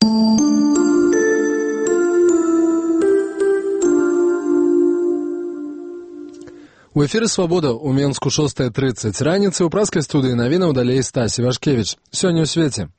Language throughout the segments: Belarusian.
У эфіры «Свабода» у Менску 6:30 раніцы ў праскай студыі навінаў далей Стасі Вашкевіч. Сёння ў свеце.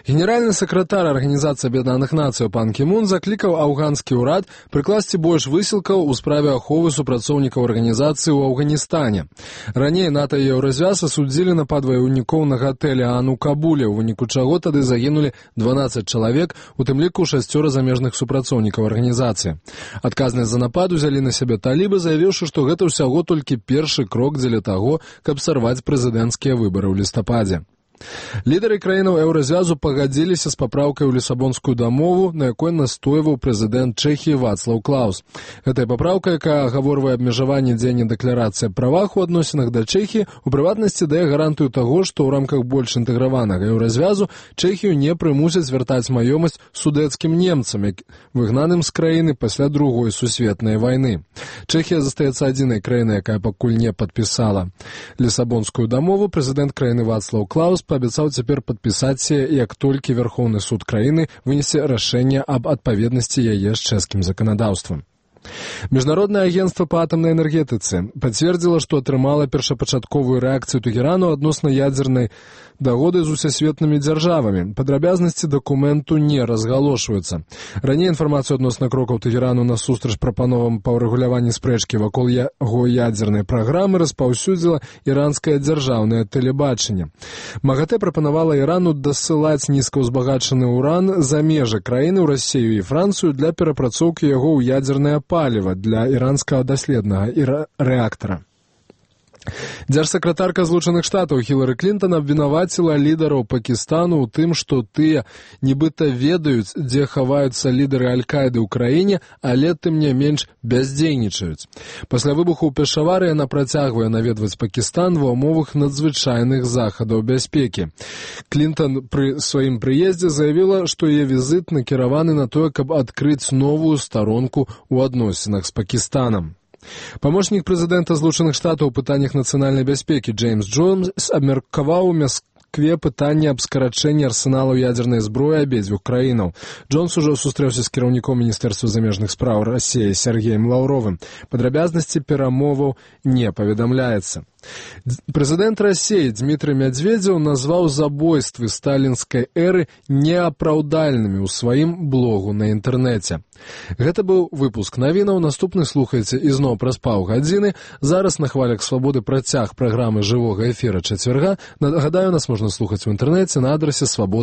Генеральны сакратар Арганізацыі Аб'яднаных Нацый пан Кі Мун заклікаў афганскі ўрад прыкласці больш высілкаў у справе аховы супрацоўнікаў арганізацыі ў Афганістане. Раней НАТО і Еўразвяз асудзілі напад ваяўнікоў на гатэлі Ан у Кабуле, у выніку чаго тады загінулі 12 чалавек, у тым ліку 6 замежных супрацоўнікаў арганізацыі. Адказнасць за напад узялі на сябе талібы, заявіўшы, што гэта ўсяго толькі першы крок дзеля таго, каб сарваць прэзідэнцкія выбары ў лістападзе. Лідары краінаў Еўразвязу пагадзіліся з папраўкай у Лісабонскую дамову, на якой настойваў прэзідэнт Чэхіі Вацлаў Клаус. Гэтая папраўка, якая агаворвае абмежаванне дзеяння дэкларацыі аб правах у адносінах да Чэхіі, у прыватнасці дае гарантыю таго, што ў рамках больш інтэграванага Еўразвязу Чэхію не прымусяць звяртаць маёмасць судэцкім немцам, выгнаным з краіны пасля Другой сусветнай вайны. Чэхія застаецца адзінай краінай, якая пакуль не падпісала Лісабонскую дамову. Прэзідэнт краіны Вацлаў Клаус паабяцаў цяпер падпісаць, як толькі Вярхоўны суд краіны вынесе рашэнне аб адпаведнасці яе з чэшскім заканадаўствам. Міжнароднае агенцтва па атамнай энергетыцы пацвердзіла, што атрымала першапачатковую рэакцыю Тэхерану адносна ядзернай дагоды з усесветнымі дзяржавамі. Падрабязнасці дакументу не разгалошваюцца. Раней інфармацыю адносна крокаў Тэхерану насустрач прапановам па ўрэгуляванні спрэчкі вакол яго ядзернай праграмы распаўсюдзіла іранскае дзяржаўнае тэлебачанне. МАГАТЭ прапанавала Ірану дасылаць нізкаўзбагачаны ўран за межы краіны ў Расію і Францыю для перапрацоўкі яго ў ядзернае паліва для іранскага даследнага рэактара. Дзяржсакратарка Злучаных Штатаў Хілары Клінтан абвінаваціла лідараў Пакістану ў тым, што тыя нібыта ведаюць, дзе хаваюцца лідары Аль-Каіды ў краіне, але тым не менш бяздзейнічаюць. Пасля выбуху ў Пешавары яна працягвае наведваць Пакістан ва ўмовах надзвычайных захадаў бяспекі. Клінтан пры сваім прыездзе заявіла, што яе візіт накіраваны на тое, каб адкрыць новую старонку ў адносінах з Пакістанам. Памочнік прэзідэнта Злучаных Штатаў у пытаннях нацыянальнай бяспекі Джеймс Джонс абмеркаваў у Маскве пытанне аб скарачэнні арсеналаў ядзернай зброі абедзвюх краінаў. Джонс ужо сустрэўся з кіраўніком Міністэрства замежных спраў Расіі Сергеем Лаўровым. Падрабязнасці перамоваў не паведамляецца. Прэзідэнт Расіі Дмітрый Мядзведзеў назваў забойствы сталінскай эры неапраўдальнымі ў сваім блогу на інтэрнэце. Гэта быў выпуск навінаў. Наступны слухайце ізноў праз паўгадзіны. Зараз на хвалях Свабоды працяг праграмы жывога эфіра чацвярга. Нагадаю, нас можна слухаць у інтэрнэце на адрасе свабода.